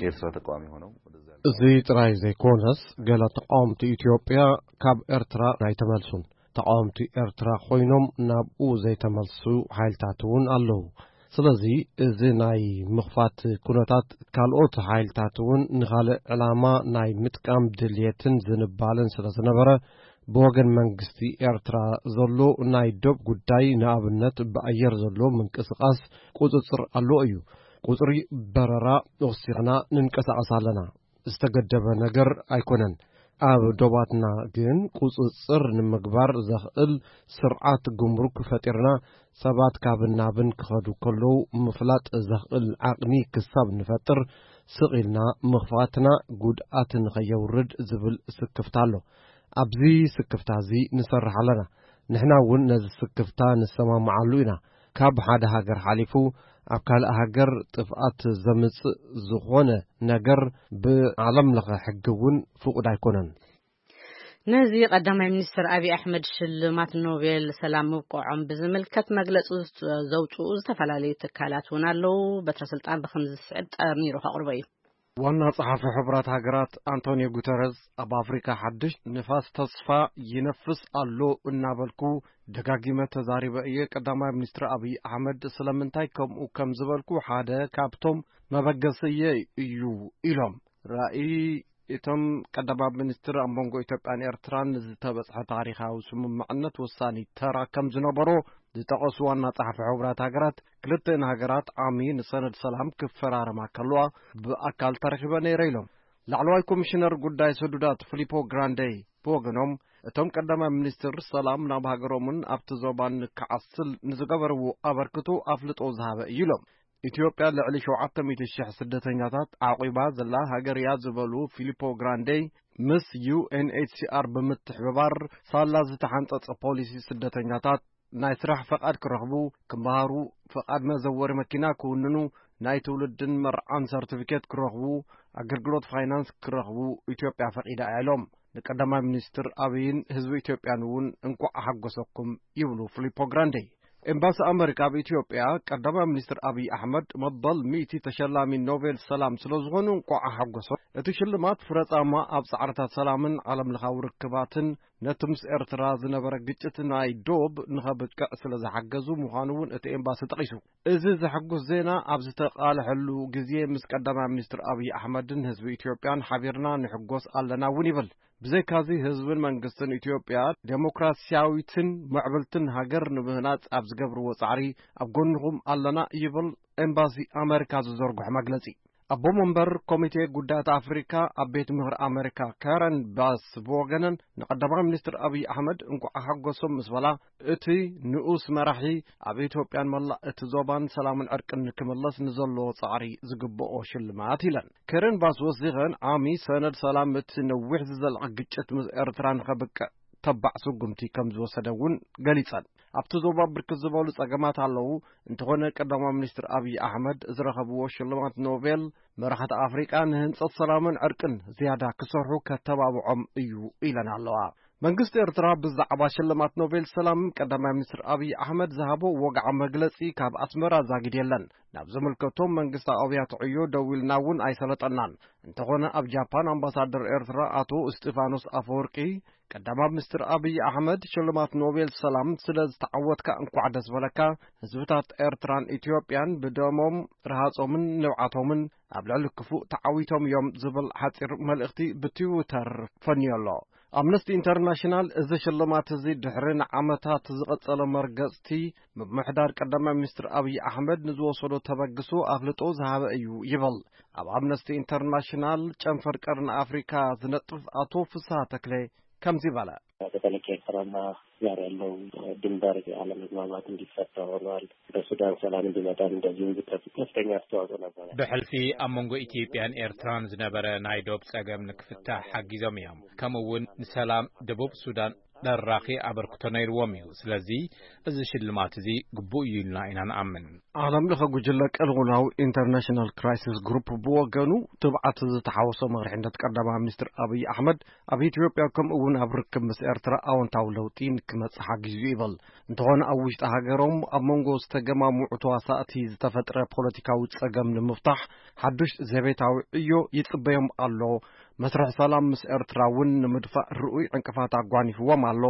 የኤርትራ ተቃዋሚ ሆነው ወደዛ እዚ ጥራይ ዘይኮነስ ገለ ተቃወምቲ ኢትዮጵያ ካብ ኤርትራ ኣይተመልሱን። ተቃወምቲ ኤርትራ ኮይኖም ናብኡ ዘይተመልሱ ሓይልታት እውን ኣለዉ። ስለዚ እዚ ናይ ምኽፋት ኩነታት ካልኦት ሓይልታት እውን ንኻልእ ዕላማ ናይ ምጥቃም ድልየትን ዝንባለን ስለ ዝነበረ ብወገን መንግስቲ ኤርትራ ዘሎ ናይ ዶብ ጉዳይ ንኣብነት ብኣየር ዘሎ ምንቅስቃስ ቁጽጽር ኣለዎ እዩ። ቁጽሪ በረራ ወሲኽና ንንቀሳቐስ ኣለና። ዝተገደበ ነገር ኣይኮነን። ኣብ ዶባትና ግን ቁጽጽር ንምግባር ዘኽእል ስርዓት ጉምሩክ ፈጢርና ሰባት ካብን ናብን ክኸዱ ከለዉ ምፍላጥ ዘኽእል ዓቕሚ ክሳብ ንፈጥር ስቕ ኢልና ምኽፋትና ጉድኣት ንኸየውርድ ዝብል ስክፍታ ኣሎ። ኣብዚ ስክፍታ እዚ ንሰርሕ ኣለና። ንሕና እውን ነዚ ስክፍታ ንሰማምዓሉ ኢና። ካብ ሓደ ሃገር ሓሊፉ ኣብ ካልእ ሃገር ጥፍኣት ዘምጽእ ዝኾነ ነገር ብዓለም ለኸ ሕጊ እውን ፍቑድ ኣይኮነን። ነዚ ቀዳማይ ሚኒስትር ኣብይ ኣሕመድ ሽልማት ኖቤል ሰላም ምብቅዖም ብዝምልከት መግለጺ ዘውፅኡ ዝተፈላለዩ ትካላት እውን ኣለዉ። በትረ ስልጣን ብከምዚ ዝስዕብ ጠሚሩ ከቕርቦ እዩ። ዋና ጸሓፊ ሕቡራት ሃገራት ኣንቶኒዮ ጉተረዝ ኣብ ኣፍሪካ ሓድሽ ንፋስ ተስፋ ይነፍስ ኣሎ እናበልኩ ደጋጊመ ተዛሪበ እየ። ቀዳማይ ሚኒስትር ኣብይ ኣሕመድ ስለምንታይ ከምኡ ከም ዝበልኩ ሓደ ካብቶም መበገስየ እዩ ኢሎም። ራእይ እቶም ቀዳማይ ሚኒስትር ኣብ መንጎ ኢትዮጵያን ኤርትራን ዝተበጽሐ ታሪኻዊ ስምምዕነት ወሳኒ ተራ ከም ዝነበሮ ዝጠቐሱ ዋና ጸሓፊ ሕቡራት ሃገራት፣ ክልተን ሃገራት ዓሚ ንሰነድ ሰላም ክፈራረማ ከለዋ ብኣካል ተረኺበ ነይረ ኢሎም። ላዕለዋይ ኮሚሽነር ጉዳይ ሰዱዳት ፊሊፖ ግራንዴ ብወገኖም፣ እቶም ቀዳማይ ሚኒስትር ሰላም ናብ ሃገሮምን ኣብቲ ዞባን ክዓስል ንዝገበርዎ ኣበርክቶ ኣፍልጦ ዝሃበ እዩ ኢሎም። ኢትዮጵያ ልዕሊ ሸውዓተ ሚእቲ ሽሕ ስደተኛታት ዓቂባ ዘላ ሃገር እያ ዝበሉ ፊሊፖ ግራንዴ፣ ምስ ዩ ኤን ኤች ሲ ኣር ብምትሕብባር ሳላ ዝተሓንጸጸ ፖሊሲ ስደተኛታት ናይ ስራሕ ፈቓድ ክረኽቡ፣ ክመሃሩ፣ ፈቓድ መዘወሪ መኪና ክውንኑ፣ ናይ ትውልድን መርዓን ሰርቲፊኬት ክረኽቡ፣ ኣገልግሎት ፋይናንስ ክረኽቡ ኢትዮጵያ ፈቒዳ እያ ኢሎም። ንቀዳማይ ሚኒስትር ኣብይን ህዝቢ ኢትዮጵያን እውን እንኳዕ ኣሓጎሰኩም ይብሉ ፊሊፖ ግራንዴ። ኤምባሲ ኣመሪካ ኣብ ኢትዮጵያ ቀዳማይ ሚኒስትር ኣብይ ኣሕመድ መበል ሚእቲ ተሸላሚ ኖቤል ሰላም ስለ ዝኾኑ እንኳዕ ኣሓጎሶም። እቲ ሽልማት ፍረጻማ ኣብ ጻዕርታት ሰላምን ዓለም ለኻዊ ርክባትን ነቲ ምስ ኤርትራ ዝነበረ ግጭት ናይ ዶብ ንኸብቅዕ ስለ ዝሓገዙ ምዃኑ እውን እቲ ኤምባሲ ጠቒሱ። እዚ ዘሐጉስ ዜና ኣብ ዝተቓልሐሉ ግዜ ምስ ቀዳማይ ሚኒስትር ኣብይ ኣሕመድን ህዝቢ ኢትዮጵያን ሓቢርና ንሕጎስ ኣለና እውን ይብል። ብዘይካዚ ህዝብን መንግስትን ኢትዮጵያ ዴሞክራሲያዊትን ምዕብልትን ሃገር ንምህናጽ ኣብ ዝገብርዎ ጻዕሪ ኣብ ጎንኹም ኣለና ይብል ኤምባሲ ኣመሪካ ዝዘርግሖ መግለጺ። ኣቦ መንበር ኮሚቴ ጉዳያት ኣፍሪካ ኣብ ቤት ምኽሪ ኣመሪካ ካረን ባስ ብወገነን ንቀዳማይ ሚኒስትር ኣብይ ኣሕመድ እንኳዕ ሓጎሶም ምስ በላ፣ እቲ ንኡስ መራሒ ኣብ ኢትዮጵያን መላእ እቲ ዞባን ሰላምን ዕርቅን ንክምለስ ንዘለዎ ጻዕሪ ዝግብኦ ሽልማት ኢለን። ከረን ባስ ወሲኸን ዓሚ ሰነድ ሰላም እቲ ነዊሕ ዝዘልዐ ግጭት ምስ ኤርትራ ንኸብቅዕ ተባዕ ስጉምቲ ከም ዝወሰደ እውን ገሊጸን። ኣብቲ ዞባ ብርክት ዝበሉ ጸገማት ኣለዉ፣ እንተኾነ ቀዳማይ ሚኒስትር ኣብይ ኣሕመድ ዝረኸብዎ ሽልማት ኖቤል መራሕቲ ኣፍሪቃ ንህንጸት ሰላምን ዕርቅን ዝያዳ ክሰርሑ ከተባብዖም እዩ ኢለን ኣለዋ። መንግስቲ ኤርትራ ብዛዕባ ሽልማት ኖቤል ሰላም ቀዳማይ ሚኒስትር ኣብይ ኣሕመድ ዝሃቦ ወግዓዊ መግለጺ ካብ ኣስመራ ዛጊድ የለን። ናብ ዝምልከቶም መንግስታዊ ኣብያተ ዕዮ ደዊልና እውን ኣይሰለጠናን። እንተኾነ ኣብ ጃፓን ኣምባሳደር ኤርትራ ኣቶ እስጢፋኖስ ኣፈወርቂ ቀዳማይ ሚኒስትር ኣብይ ኣሕመድ ሽልማት ኖቤል ሰላም ስለ ዝተዓወትካ እንኳዕ ደስ በለካ፣ ህዝብታት ኤርትራን ኢትዮጵያን ብደሞም ረሃጾምን ንብዓቶምን ኣብ ልዕሊ ክፉእ ተዓዊቶም እዮም ዝብል ሓጺር መልእኽቲ ብትዊተር ፈንዮ ኣሎ። ኣምነስቲ ኢንተርናሽናል እዚ ሽልማት እዚ ድሕሪ ንዓመታት ዝቐጸለ መርገጽቲ ምምሕዳር ቀዳማይ ሚኒስትር ኣብይ ኣሕመድ ንዝወሰዶ ተበግሶ ኣፍልጦ ዝሃበ እዩ ይብል። ኣብ ኣምነስቲ ኢንተርናሽናል ጨንፈር ቀርኒ ኣፍሪካ ዝነጥፍ ኣቶ ፍስሃ ተክለ ከምዚ በለ። በተለይ ከኤርትራና ጋር ያለው ድንበር ያለመግባባት እንዲፈታ ሆኗል። በሱዳን ሰላም እንዲመጣ እንደዚሁ ከፍተኛ አስተዋጽኦ ነበረ። ብሕልፊ ኣብ መንጎ ኢትዮጵያን ኤርትራን ዝነበረ ናይ ዶብ ጸገም ንክፍታሕ ሓጊዞም እዮም። ከምኡ እውን ንሰላም ደቡብ ሱዳን ደራኺ ኣበርክቶ ነይርዎም እዩ። ስለዚ እዚ ሽልማት እዚ ግቡእ እዩ ኢልና ኢና ንኣምን። ዓለም ለኸ ጉጅለ ቅልውላው ኢንተርናሽናል ክራይሲስ ግሩፕ ብወገኑ ትብዓት ዝተሓወሶ መርሒነት ቀዳማይ ሚኒስትር ኣብይ ኣሕመድ ኣብ ኢትዮጵያ ከምኡ እውን ኣብ ርክብ ምስ ኤርትራ ኣወንታዊ ለውጢ ንክመጽእ ሓጊዙ ይበል። እንተኾነ ኣብ ውሽጢ ሃገሮም ኣብ መንጎ ዝተገማምዑ ተዋሳእቲ ዝተፈጥረ ፖለቲካዊ ጸገም ንምፍታሕ ሓዱሽ ዘቤታዊ ዕዮ ይጽበዮም ኣሎ። መስርሕ ሰላም ምስ ኤርትራ እውን ንምድፋእ ርኡይ ዕንቅፋት ኣጓኒፍዎም ኣሎ።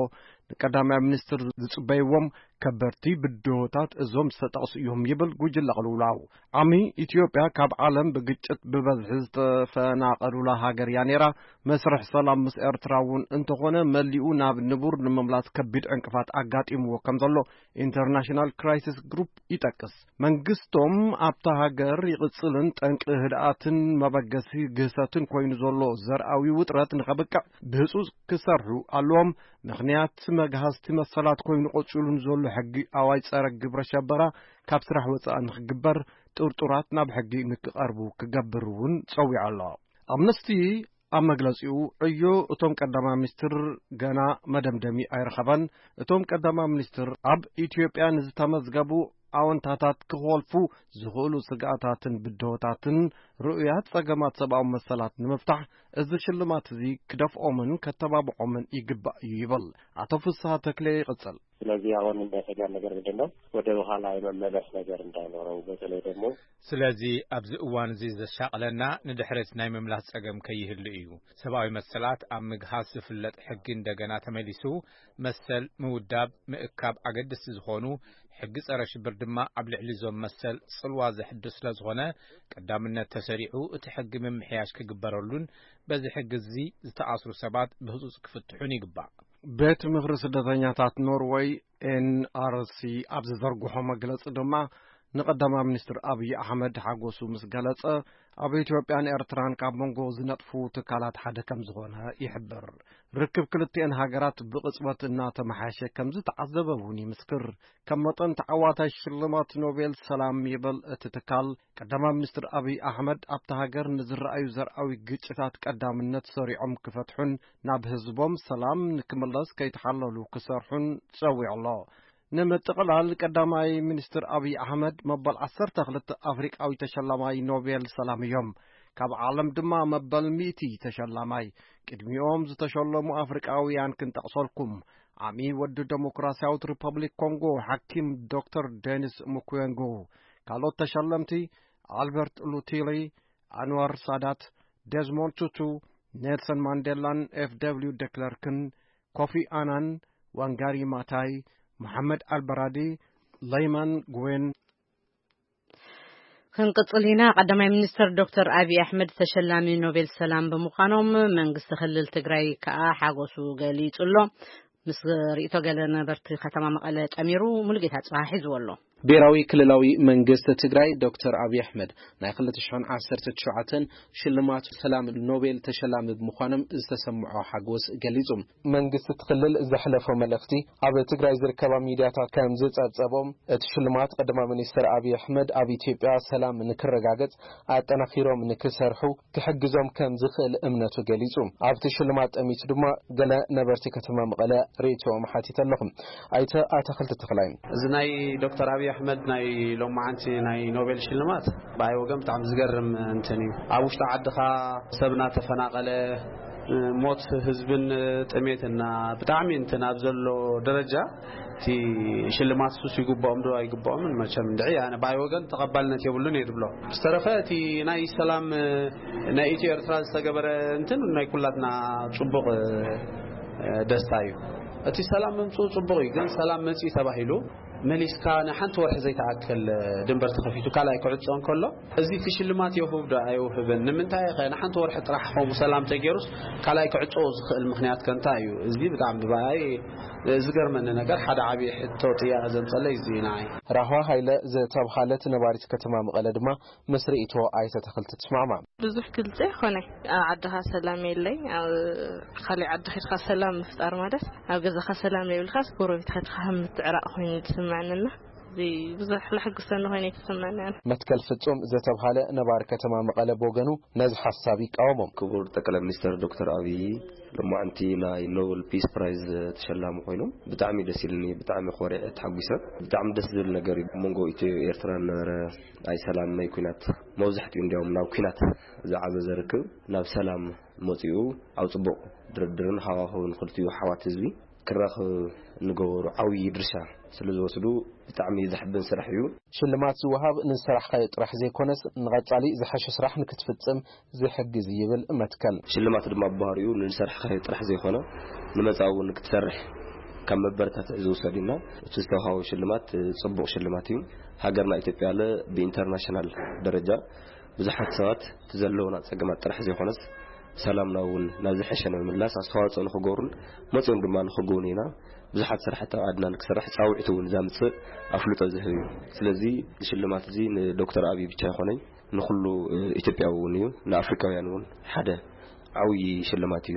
ንቀዳማይ ሚኒስትር ዝጽበይዎም ከበድቲ ብድሆታት እዞም ዝተጠቕሱ እዮም ይብል ጉጅለ ቅልውላው። ዓሚ ኢትዮጵያ ካብ ዓለም ብግጭት ብበዝሒ ዝተፈናቐሉላ ሃገር እያ ነይራ። መስርሕ ሰላም ምስ ኤርትራ እውን እንተኾነ መሊኡ ናብ ንቡር ንምምላስ ከቢድ ዕንቅፋት ኣጋጢምዎ ከም ዘሎ ኢንተርናሽናል ክራይሲስ ግሩፕ ይጠቅስ። መንግስቶም ኣብታ ሃገር ይቕጽልን ጠንቂ ህድኣትን መበገሲ ግህሰትን ኮይኑ ዘሎ ዘርኣዊ ውጥረት ንኸብቅዕ ብህጹጽ ክሰርሑ ኣለዎም። ምኽንያት መግሃስቲ መሰላት ኮይኑ ቀጺሉ ንዘሎ ሕጊ ኣዋጅ ጸረ ግብረ ሸበራ ካብ ስራሕ ወጻኢ ንኽግበር፣ ጥርጡራት ናብ ሕጊ ንክቐርቡ ክገብር እውን ጸዊዑ ኣሎ። ኣምነስቲ ኣብ መግለጺኡ ዕዮ እቶም ቀዳማይ ሚኒስትር ገና መደምደሚ ኣይረኸበን። እቶም ቀዳማይ ሚኒስትር ኣብ ኢትዮጵያ ንዝተመዝገቡ ኣወንታታት ክኾልፉ ዝኽእሉ ስግኣታትን ብድሆታትን ርኡያት ጸገማት ሰብኣዊ መሰላት ንምፍታሕ እዚ ሽልማት እዚ ክደፍኦምን ከተባብዖምን ይግባእ እዩ ይብል። ኣቶ ፍስሃ ተክለ ይቕጽል። ስለዚህ አሁን የሚያሰጋን ነገር ምንድን ነው? ወደ ኋላ የመመለስ ነገር እንዳይኖረው፣ በተለይ ደግሞ ስለዚ ኣብዚ እዋን እዚ ዘሻቕለና ንድሕሪት ናይ ምምላስ ጸገም ከይህሉ እዩ። ሰብኣዊ መሰላት ኣብ ምግሃስ ዝፍለጥ ሕጊ እንደገና ተመሊሱ መሰል ምውዳብ ምእካብ ኣገደስቲ ዝኾኑ ሕጊ ጸረ ሽብር ድማ ኣብ ልዕሊ እዞም መሰል ጽልዋ ዘሕድር ስለ ዝኾነ ቀዳምነት ተሰሪዑ እቲ ሕጊ ምምሕያሽ ክግበረሉን በዚ ሕጊ እዚ ዝተኣስሩ ሰባት ብህጹጽ ክፍትሑን ይግባእ። ቤት ምኽሪ ስደተኛታት ኖርወይ ኤንኣርሲ ኣብ ዝዘርግሖ መግለጺ ድማ ንቀዳማይ ሚኒስትር ኣብይ ኣሕመድ ሓጎሱ ምስ ገለጸ ኣብ ኢትዮጵያን ኤርትራን ካብ መንጎ ዝነጥፉ ትካላት ሓደ ከም ዝኾነ ይሕብር። ርክብ ክልቲኤን ሃገራት ብቕጽበት እናተመሓየሸ ከም ዝተዓዘበ እውን ይምስክር። ከም መጠን ተዓዋታይ ሽልማት ኖቤል ሰላም ይበል እቲ ትካል ቀዳማይ ሚኒስትር ኣብይ ኣሕመድ ኣብታ ሃገር ንዝረኣዩ ዘርኣዊ ግጭታት ቀዳምነት ሰሪዖም ክፈትሑን ናብ ህዝቦም ሰላም ንክምለስ ከይተሓለሉ ክሰርሑን ጸዊዑ ኣሎ። ንምጥቕላል ቀዳማይ ሚኒስትር ኣብይ ኣሕመድ መበል ዓሰርተ ክልተ ኣፍሪቃዊ ተሸላማይ ኖቤል ሰላም እዮም። ካብ ዓለም ድማ መበል ሚእቲ ተሸላማይ። ቅድሚኦም ዝተሸለሙ ኣፍሪቃውያን ክንጠቕሰልኩም። ዓሚ ወዲ ደሞክራሲያዊት ሪፐብሊክ ኮንጎ ሓኪም ዶክተር ዴኒስ ሙኩዌንጎ። ካልኦት ተሸለምቲ ኣልበርት ሉቲሊ፣ ኣንዋር ሳዳት፣ ደዝሞንድ ቱቱ፣ ኔልሰን ማንዴላን ኤፍ ደብሊው ደክለርክን፣ ኮፊ ኣናን፣ ዋንጋሪ ማታይ፣ መሓመድ ኣልበራዲ፣ ለይማን ጉዌን። ክንቅጽል ኢና። ቀዳማይ ሚኒስትር ዶክተር ኣብይ ኣሕመድ ተሸላሚ ኖቤል ሰላም ብምዃኖም መንግስቲ ክልል ትግራይ ከኣ ሓጎሱ ገሊጹ ኣሎ። ምስ ርእይቶ ገለ ነበርቲ ከተማ መቐለ ጠሚሩ ሙሉጌታ ጽባህ ሒዝዎ ኣሎ። ብሔራዊ ክልላዊ መንግስቲ ትግራይ ዶክተር ኣብይ ኣሕመድ ናይ ክልተ ሽሕን ዓሰርተ ትሽዓተን ሽልማት ሰላም ኖቤል ተሸላሚ ብምዃኖም ዝተሰምዖ ሓጎስ ገሊጹ። መንግስቲ እቲ ክልል ዘሕለፎ መልእኽቲ ኣብ ትግራይ ዝርከባ ሚድያታት ከም ዝጸብጸቦም፣ እቲ ሽልማት ቀዳማይ ሚኒስትር ኣብይ ኣሕመድ ኣብ ኢትዮጵያ ሰላም ንክረጋገጽ ኣጠናኺሮም ንክሰርሑ ክሕግዞም ከም ዝኽእል እምነቱ ገሊጹ። ኣብቲ ሽልማት ጠሚቱ ድማ ገለ ነበርቲ ከተማ መቐለ ርእይቶኦም ሓቲተ ኣለኹ። ኣይተ ኣታኽልቲ ተኽላይ። እዚ ናይ ዶክተር ኣብይ ኣሕመድ ናይ ሎማዓንቲ ናይ ኖቤል ሽልማት ብኣይ ወገን ብጣዕሚ ዝገርም እንትን እዩ። ኣብ ውሽጢ ዓድኻ ሰብ እናተፈናቐለ፣ ሞት ህዝብን ጥሜትና ብጣዕሚ እንትን ኣብ ዘሎ ደረጃ፣ እቲ ሽልማት ሱስ ይግባኦም ዶ ኣይግባኦምን መቸም እንድዒ፣ ኣነ ብኣይ ወገን ተቐባልነት የብሉን እየ ዝብሎ። ዝተረፈ እቲ ናይ ሰላም ናይ ኢትዮ ኤርትራ ዝተገበረ እንትን ናይ ኩላትና ጽቡቕ ደስታ እዩ። እቲ ሰላም ምምጽኡ ጽቡቕ እዩ፣ ግን ሰላም መጽኢ ተባሂሉ መሊስካ ንሓንቲ ወርሒ ዘይተኣክል ድንበር ተኸፊቱ ካልኣይ ክዕጾ እንከሎ፣ እዚ እቲ ሽልማት የውህብ ዶ ኣይውህብን? ንምንታይ ኸ ንሓንቲ ወርሒ ጥራሕ ከምኡ ሰላም ተገይሩስ ካልኣይ ክዕጾ ዝኽእል ምኽንያት ከ እንታይ እዩ? እዚ ብጣዕሚ ብኣይ ዝገርመኒ ነገር፣ ሓደ ዓብዪ ሕቶ ጥያቐ ዘምጸለይ እዚ እዩ ንዓይ። ራህዋ ሃይለ ዝተብሃለት ነባሪት ከተማ መቐለ ድማ ምስ ርእይቶ ኣይተ ተኽልቲ ትስማዕማዕ። ብዙሕ ግልጺ ኣይኮነ። ኣብ ዓድኻ ሰላም የለይ፣ ኣብ ካልእ ዓዲ ኸድካ ሰላም ምፍጣር ማለት ኣብ ገዛኻ ሰላም የብልካስ ጎረቤት ኸድካ ከም ምትዕራቕ ኮይኑ ዝስምዐንና። እዚ ብዙሕ ለሕጉሰኒ ኮይኑ ኣይተሰምዐኒ ኣነ። መትከል ፍጹም ዝተብሃለ ነባሪ ከተማ መቐለ ብወገኑ ነዚ ሓሳብ ይቃወሞ። ክቡር ጠቅላይ ሚኒስትር ዶክተር ኣብይ ሎማዓንቲ ናይ ኖበል ፒስ ፕራይዝ ተሸላሚ ኮይኖም ብጣዕሚ ደስ ኢልኒ፣ ብጣዕሚ ኮሪዐ ተሓጒሰ። ብጣዕሚ ደስ ዝብል ነገር እዩ። ኣብ መንጎ ኢትዮ ኤርትራ ነበረ ናይ ሰላም ናይ ኩናት መብዛሕትኡ እንዲያውም ናብ ኩናት ዝዓዘዘ ርክብ ናብ ሰላም መጺኡ ኣብ ጽቡቕ ድርድርን ሃዋህውን ክልቲኡ ኣሕዋት ህዝቢ ክራኸብ እንገበሩ ዓብዪ ድርሻ ስለ ዝወስዱ ብጣዕሚ ዘሕብን ስራሕ እዩ። ሽልማት ዝወሃብ ንዝሰራሕካዮ ጥራሕ ዘይኮነስ ንቐጻሊ ዝሐሸ ስራሕ ንክትፍጽም ዝሕግዝ ይብል መትከል። ሽልማት ድማ ብባህሪኡ ንዝሰራሕካዮ ጥራሕ ዘይኮነ ንመጻኢ እውን ክትሰርሕ ካብ መበረታትዒ ዝውሰድ እዩና እቲ ዝተውሃቦ ሽልማት ጽቡቕ ሽልማት እዩ። ሃገርና ኢትዮጵያ ለ ብኢንተርናሽናል ደረጃ ብዙሓት ሰባት እቲ ዘለውና ጸገማት ጥራሕ ዘይኮነስ ሰላምና እውን ናብ ዝሐሸ ንምምላስ ኣስተዋጽኦ ንክገብሩን መጺኦም ድማ ንክግቡን ኢና። ብዙሓት ስራሕቲ ኣብ ዓድና ንክሰርሕ ጻውዒት እውን ዘምጽእ ኣፍልጦ ዝህብ እዩ። ስለዚ ሽልማት እዚ ንዶክተር ኣብይ ብቻ ኣይኮነይ ንኩሉ ኢትዮጵያዊ እውን እዩ፣ ንኣፍሪካውያን እውን ሓደ ዓብዪ ሽልማት እዩ፣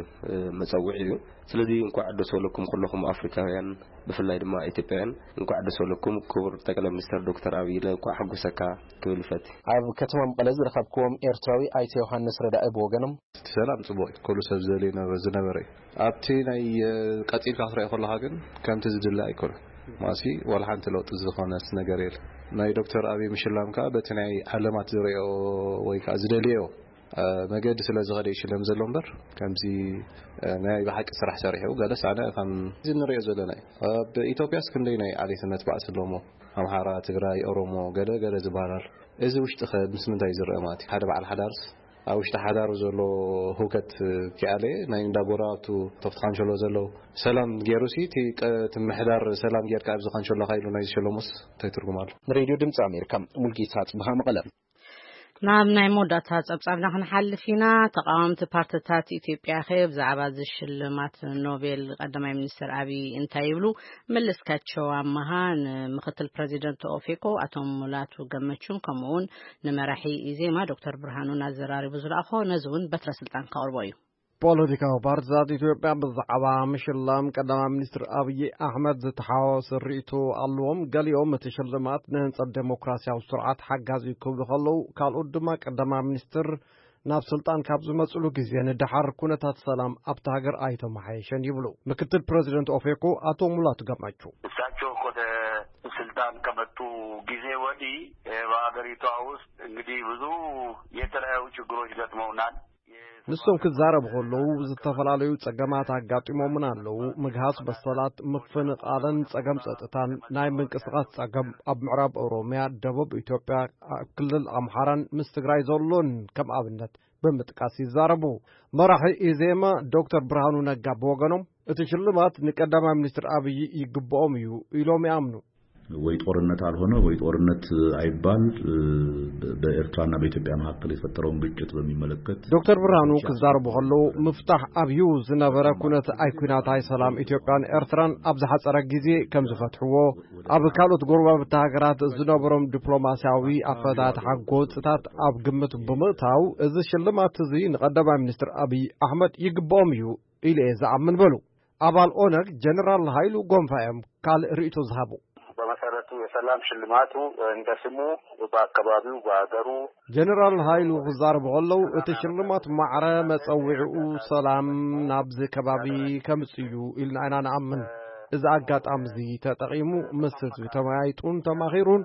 መጸውዒ እዩ። ስለዚ እንኳዕ ደስ በለኩም ኩለኹም ኣፍሪካውያን፣ ብፍላይ ድማ ኢትዮጵያውያን እንኳዕ ደስ በለኩም። ክቡር ጠቅላይ ሚኒስትር ዶክተር ኣብይ ኢለ እንኳዕ ሓጎሰካ ክብል ይፈቲ። ኣብ ከተማ መቐለ ዝረኸብክዎም ኤርትራዊ ኣይተ ዮሃንስ ረዳኢ ብወገኖም፣ እቲ ሰላም ጽቡቕ እዩ፣ ኩሉ ሰብ ዝደልዮ ነበረ ዝነበረ እዩ። ኣብቲ ናይ ቀጺልካ ክትሪኦ ከለኻ ግን ከምቲ ዝድለ ኣይኮነን። ማሲ ዋላ ሓንቲ ለውጢ ዝኾነስ ነገር የለ። ናይ ዶክተር ኣብይ ምሽላም ከዓ በቲ ናይ ዓለማት ዝሪኦ ወይ ከዓ ዝደልዮ መገዲ ስለ ዝኸደ ይሽለም ዘሎ እምበር ከምዚ ናይ ብሓቂ ስራሕ ሰሪሑ ገለስ ኣነ ከም እዚ ንሪኦ ዘለና እዩ። ኣብ ኢትዮጵያስ ክንደይ ናይ ዓሌትነት ባእሲ ኣለዎ? ኣምሓራ፣ ትግራይ፣ ኦሮሞ፣ ገለ ገለ ዝበሃል ኣሎ። እዚ ውሽጢ ከ ምስ ምንታይ ዝረአ ማለት እዩ? ሓደ በዓል ሓዳርስ ኣብ ውሽጢ ሓዳሩ ዘሎ ህውከት ኪኣለ ናይ እንዳ ጎረባብቱ ተፍቲ ካንሸሎ ዘለዉ ሰላም ገይሩ ሲ እቲ ቀ-፣ እቲ ምሕዳር ሰላም ጌርካ ኣብዚ ካንሸሎኻ ኢሉ ናይ ዝሸለሙስ እንታይ ትርጉም ኣሎ? ንሬድዮ ድምፂ ኣሜሪካ ሙልጌታ ጽብሃ መቐለ። ናብ ናይ መወዳእታ ጸብጻብና ክንሓልፍ ኢና። ተቓወምቲ ፓርትታት ኢትዮጵያ ከ ብዛዕባ እዚ ሽልማት ኖቤል ቀዳማይ ሚኒስትር ኣብይ እንታይ ይብሉ? መለስካቸው ኣመሃ ንምክትል ፕረዚደንት ኦፌኮ ኣቶ ሙላቱ ገመቹን ከምኡውን ንመራሒ ኢዜማ ዶክተር ብርሃኑን ኣዘራሪቡ ዝለኣኾ ነዚ እውን በትረ ስልጣን ከቕርቦ እዩ። ፖለቲካዊ ፓርትታት ኢትዮጵያ ብዛዕባ ምሽላም ቀዳማይ ሚኒስትር ኣብይ ኣሕመድ ዝተሓዋወሰ ርእይቶ ኣለዎም። ገሊኦም እቲ ሽልማት ንህንጸት ዴሞክራሲያዊ ስርዓት ሓጋዚ ክብሉ ከለዉ፣ ካልኦት ድማ ቀዳማይ ሚኒስትር ናብ ስልጣን ካብ ዝመጽሉ ግዜ ንደሓር ኩነታት ሰላም ኣብታ ሃገር ኣይተመሓየሸን ይብሉ። ምክትል ፕረዚደንት ኦፌኮ ኣቶ ሙላቱ ገመቹ። እሳቸው ወደ ስልጣን ከመጡ ጊዜ ወዲህ በሀገሪቷ ውስጥ እንግዲህ ብዙ የተለያዩ ችግሮች ገጥመውናል። ንሶም ክዛረቡ ከለዉ ዝተፈላለዩ ጸገማት ኣጋጢሞምን ኣለዉ። ምግሃስ በሰላት፣ ምፍንቓልን ጸገም ጸጥታን፣ ናይ ምንቅስቓስ ጸገም ኣብ ምዕራብ ኦሮምያ፣ ደቡብ ኢትዮጵያ፣ ኣብ ክልል ኣምሓራን ምስ ትግራይ ዘሎን ከም ኣብነት ብምጥቃስ ይዛረቡ። መራሒ ኢዜማ ዶክተር ብርሃኑ ነጋ ብወገኖም እቲ ሽልማት ንቀዳማይ ሚኒስትር ኣብይ ይግብኦም እዩ ኢሎም ይኣምኑ። ወይ ጦርነት አልሆነ ወይ ጦርነት አይባል፣ በኤርትራና በኢትዮጵያ መካከል የተፈጠረውን ግጭት በሚመለከት ዶክተር ብርሃኑ ክዛረቡ ከለዉ፣ ምፍታሕ ኣብዩ ዝነበረ ኩነት ኣይ ኩናት ኣይ ሰላም ኢትዮጵያን ኤርትራን ኣብ ዝሓጸረ ግዜ ከም ዝፈትሕዎ፣ ኣብ ካልኦት ጎረባብቲ ሃገራት ዝነበሮም ዲፕሎማስያዊ ኣፈታትሓ ጎንጽታት ኣብ ግምት ብምእታው፣ እዚ ሽልማት እዚ ንቀዳማይ ሚኒስትር ኣብይ ኣሕመድ ይግብኦም እዩ ኢለ እየ ዝኣምን በሉ። ኣባል ኦነግ ጀነራል ሃይሉ ጎንፋ እዮም ካልእ ርእይቶ ዝሃቡ። በመሰረቱ የሰላም ሽልማቱ እንደ ስሙ በአካባቢው በሀገሩ ጀነራል ሃይሉ ክዛረቡ ከለዉ፣ እቲ ሽልማት ማዕረ መጸውዒኡ ሰላም ናብዚ ከባቢ ከምጽእ እዩ ኢልና ኢና ንኣምን። እዚ ኣጋጣሚ እዚ ተጠቒሙ ምስ ህዝቢ ተመያይጡን ተማኺሩን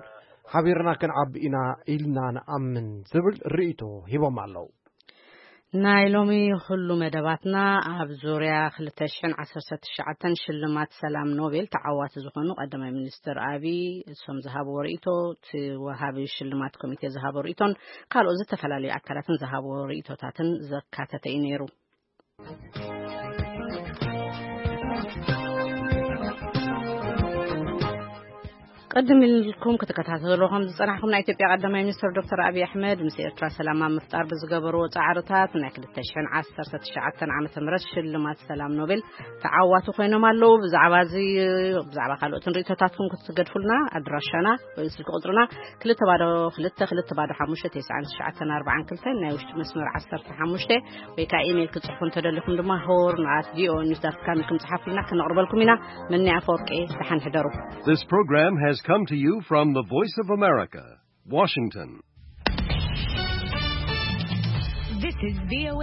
ሓቢርና ክንዓቢ ኢና ኢልና ንኣምን ዝብል ርእይቶ ሂቦም ኣለዉ። ናይ ሎሚ ኩሉ መደባትና ኣብ ዙርያ ክልተ ሽሕን ዓሰርተ ትሽዓተን ሽልማት ሰላም ኖቤል ተዓዋቲ ዝኾኑ ቀዳማይ ሚኒስትር ኣብይ እሶም ዝሃብዎ ርእይቶ፣ እቲ ወሃቢ ሽልማት ኮሚቴ ዝሃቦ ርእይቶን ካልኦት ዝተፈላለዩ ኣካላትን ዝሃብዎ ርእይቶታትን ዘካተተ እዩ ነይሩ። ቅድም ኢልኩም ክትከታተሉ ከም ዝጸናሕኩም፣ ናይ ኢትዮጵያ ቀዳማይ ሚኒስትር ዶክተር ኣብይ ኣሕመድ ምስ ኤርትራ ሰላም ኣብ ምፍጣር ብዝገበርዎ ጻዕርታት ናይ ክልተ ሽሕን ዓሰርተ ትሽዓተን ዓመተ ምህረት ሽልማት ሰላም ኖቤል ተዓዋቲ ኮይኖም ኣለዉ። ብዛዕባ እዚ፣ ብዛዕባ ካልኦትን ርእይቶታትኩም ክትገድፉልና ኣድራሻና ወይ ስልኪ ቁጽርና ክልተ ባዶ ክልተ ክልተ ባዶ ሓሙሽተ ተስዓን ትሽዓተን ኣርባዓን ክልተን፣ ናይ ውሽጢ መስመር ዓሰርተ ሓሙሽተ፣ ወይ ከዓ ኢሜይል ክትጽሕፉ እንተደሊኹም ድማ ሆርን ኣት ቪኦኤ ኒውስ ዳት ካም ኢልኩም ጽሓፉልና፣ ክነቕርበልኩም ኢና። መኒ ኣፈወርቂ፣ ደሓን ሕደሩ። This program has come to you from the Voice of America, Washington. This is VOA.